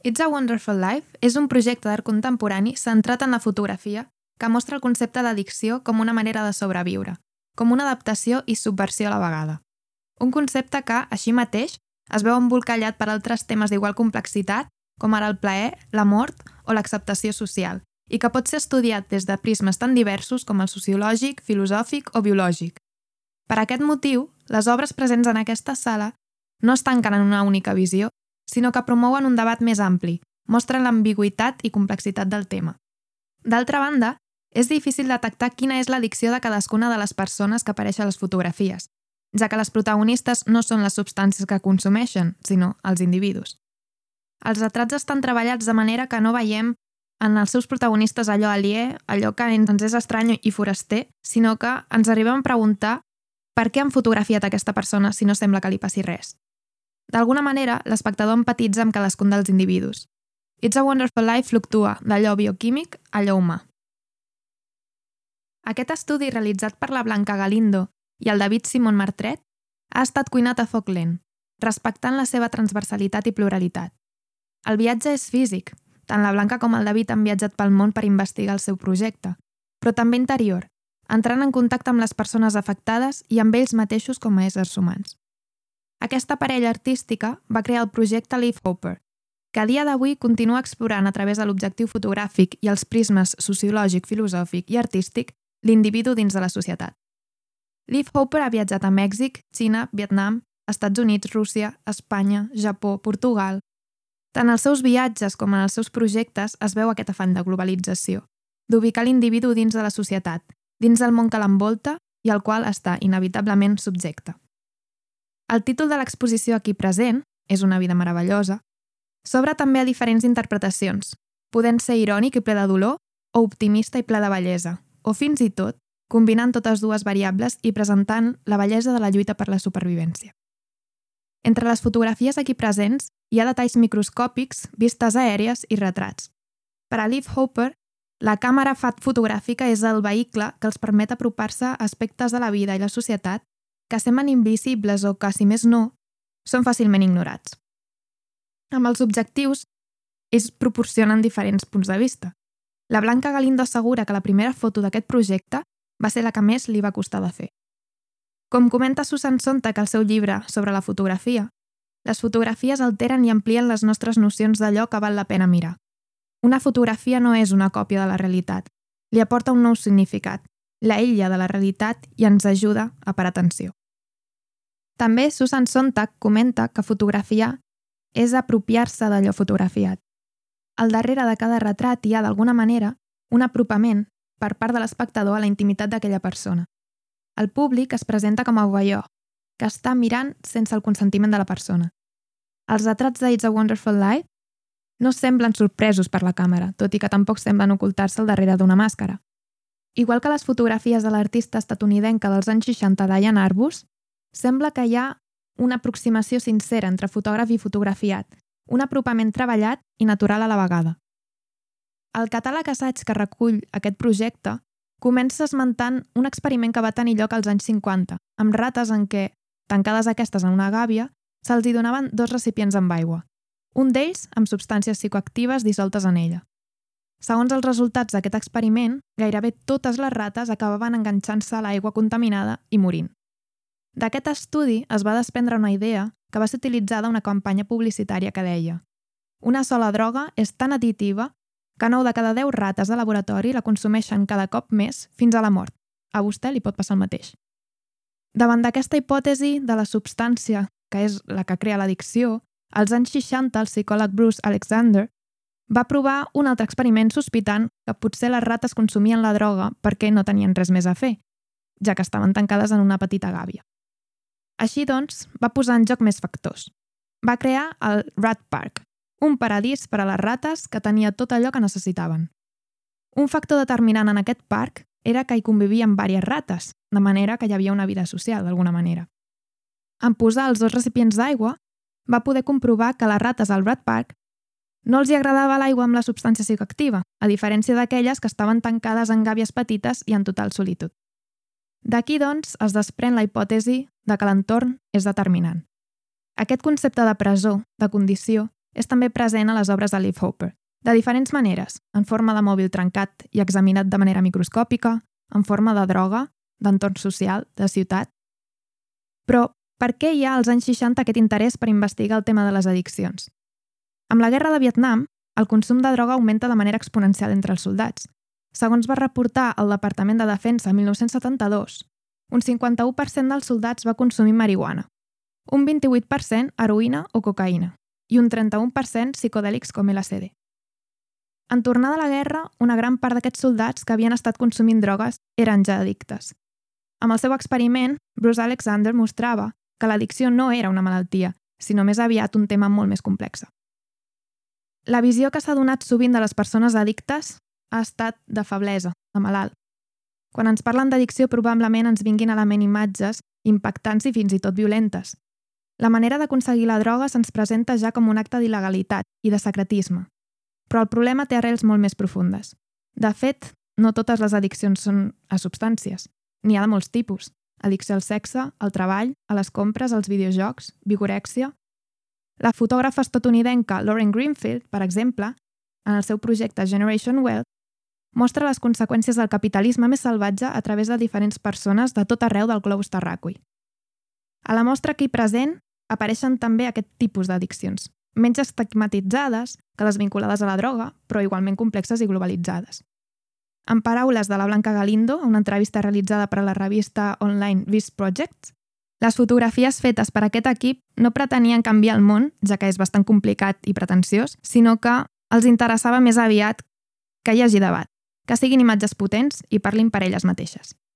It's a Wonderful Life és un projecte d'art contemporani centrat en la fotografia que mostra el concepte d'addicció com una manera de sobreviure, com una adaptació i subversió a la vegada. Un concepte que, així mateix, es veu embolcallat per altres temes d'igual complexitat, com ara el plaer, la mort o l'acceptació social, i que pot ser estudiat des de prismes tan diversos com el sociològic, filosòfic o biològic. Per aquest motiu, les obres presents en aquesta sala no es tanquen en una única visió, sinó que promouen un debat més ampli, mostren l'ambigüitat i complexitat del tema. D'altra banda, és difícil detectar quina és l'addicció de cadascuna de les persones que apareixen a les fotografies, ja que les protagonistes no són les substàncies que consumeixen, sinó els individus. Els retrats estan treballats de manera que no veiem en els seus protagonistes allò aliè, allò que ens és estrany i foraster, sinó que ens arribem a preguntar per què han fotografiat aquesta persona si no sembla que li passi res. D'alguna manera, l'espectador empatitza amb cadascun dels individus. It's a Wonderful Life fluctua d'allò bioquímic a allò humà. Aquest estudi realitzat per la Blanca Galindo i el David Simon Martret ha estat cuinat a foc lent, respectant la seva transversalitat i pluralitat. El viatge és físic, tant la Blanca com el David han viatjat pel món per investigar el seu projecte, però també interior, entrant en contacte amb les persones afectades i amb ells mateixos com a éssers humans. Aquesta parella artística va crear el projecte Leaf Hopper, que a dia d'avui continua explorant a través de l'objectiu fotogràfic i els prismes sociològic, filosòfic i artístic l'individu dins de la societat. Leaf Hopper ha viatjat a Mèxic, Xina, Vietnam, Estats Units, Rússia, Espanya, Japó, Portugal. Tant als seus viatges com en els seus projectes es veu aquest afany de globalització, d'ubicar l'individu dins de la societat, dins del món que l'envolta i al qual està inevitablement subjecte. El títol de l'exposició aquí present, És una vida meravellosa, s'obre també a diferents interpretacions, podent ser irònic i ple de dolor o optimista i ple de bellesa, o fins i tot combinant totes dues variables i presentant la bellesa de la lluita per la supervivència. Entre les fotografies aquí presents hi ha detalls microscòpics, vistes aèries i retrats. Per a Leaf Hopper, la càmera fotogràfica és el vehicle que els permet apropar-se a aspectes de la vida i la societat que semblen invisibles o que, si més no, són fàcilment ignorats. Amb els objectius, ells proporcionen diferents punts de vista. La Blanca Galindo assegura que la primera foto d'aquest projecte va ser la que més li va costar de fer. Com comenta Susan Sontag al seu llibre sobre la fotografia, les fotografies alteren i amplien les nostres nocions d'allò que val la pena mirar. Una fotografia no és una còpia de la realitat, li aporta un nou significat, l'aïlla de la realitat i ens ajuda a parar atenció. També Susan Sontag comenta que fotografiar és apropiar-se d'allò fotografiat. Al darrere de cada retrat hi ha, d'alguna manera, un apropament per part de l'espectador a la intimitat d'aquella persona. El públic es presenta com a voyeur, que està mirant sense el consentiment de la persona. Els retrats de It's a Wonderful Life no semblen sorpresos per la càmera, tot i que tampoc semblen ocultar-se al darrere d'una màscara. Igual que les fotografies de l'artista estatunidenca dels anys 60 Diane Arbus, sembla que hi ha una aproximació sincera entre fotògraf i fotografiat, un apropament treballat i natural a la vegada. El catàleg assaig que recull aquest projecte comença esmentant un experiment que va tenir lloc als anys 50, amb rates en què, tancades aquestes en una gàbia, se'ls hi donaven 2 recipients amb aigua, un d'ells amb substàncies psicoactives dissoltes en ella. Segons els resultats d'aquest experiment, gairebé totes les rates acabaven enganxant-se a l'aigua contaminada i morint. D'aquest estudi es va desprendre una idea que va ser utilitzada a una campanya publicitària que deia: una sola droga és tan additiva que 9 de cada 10 rates de laboratori la consumeixen cada cop més fins a la mort. A vostè li pot passar el mateix. Davant d'aquesta hipòtesi de la substància, que és la que crea l'addicció, als anys 60 el psicòleg Bruce Alexander va provar un altre experiment sospitant que potser les rates consumien la droga perquè no tenien res més a fer, ja que estaven tancades en una petita gàbia. Així doncs, va posar en joc més factors. Va crear el Rat Park, un paradís per a les rates que tenia tot allò que necessitaven. Un factor determinant en aquest parc era que hi convivien diverses rates, de manera que hi havia una vida social, d'alguna manera. En posar els 2 recipients d'aigua, va poder comprovar que les rates al Rat Park no els hi agradava l'aigua amb la substància psicoactiva, a diferència d'aquelles que estaven tancades en gàbies petites i en total solitud. D'aquí, doncs, es desprèn la hipòtesi de que l'entorn és determinant. Aquest concepte de presó, de condició, és també present a les obres de Leaf Hopper, de diferents maneres, en forma de mòbil trencat i examinat de manera microscòpica, en forma de droga, d'entorn social, de ciutat. Però per què hi ha als anys 60 aquest interès per investigar el tema de les addiccions? Amb la guerra de Vietnam, el consum de droga augmenta de manera exponencial entre els soldats. Segons va reportar el Departament de Defensa en 1972, un 51% dels soldats va consumir marihuana, un 28% heroïna o cocaïna i un 31% psicodèlics com LSD. En tornar de la guerra, una gran part d'aquests soldats que havien estat consumint drogues eren ja addictes. Amb el seu experiment, Bruce Alexander mostrava que l'addicció no era una malaltia, sinó més aviat un tema molt més complex. La visió que s'ha donat sovint de les persones addictes ha estat de feblesa, de malalt. Quan ens parlen d'addicció probablement ens vinguin a la ment imatges impactants i fins i tot violentes. La manera d'aconseguir la droga se'ns presenta ja com un acte d'il·legalitat i de secretisme. Però el problema té arrels molt més profundes. De fet, no totes les addiccions són a substàncies. N'hi ha de molts tipus. Addicció al sexe, al treball, a les compres, als videojocs, vigorèxia. La fotògrafa estatunidenca Lauren Greenfield, per exemple, en el seu projecte Generation Wealth, mostra les conseqüències del capitalisme més salvatge a través de diferents persones de tot arreu del globus terraqüi. A la mostra aquí present apareixen també aquest tipus d'addiccions, menys estigmatitzades que les vinculades a la droga, però igualment complexes i globalitzades. En paraules de la Blanca Galindo, a una entrevista realitzada per a la revista online Vice Projects, les fotografies fetes per aquest equip no pretenien canviar el món, ja que és bastant complicat i pretensiós, sinó que els interessava més aviat que hi hagi debat, que siguin imatges potents i parlin per elles mateixes.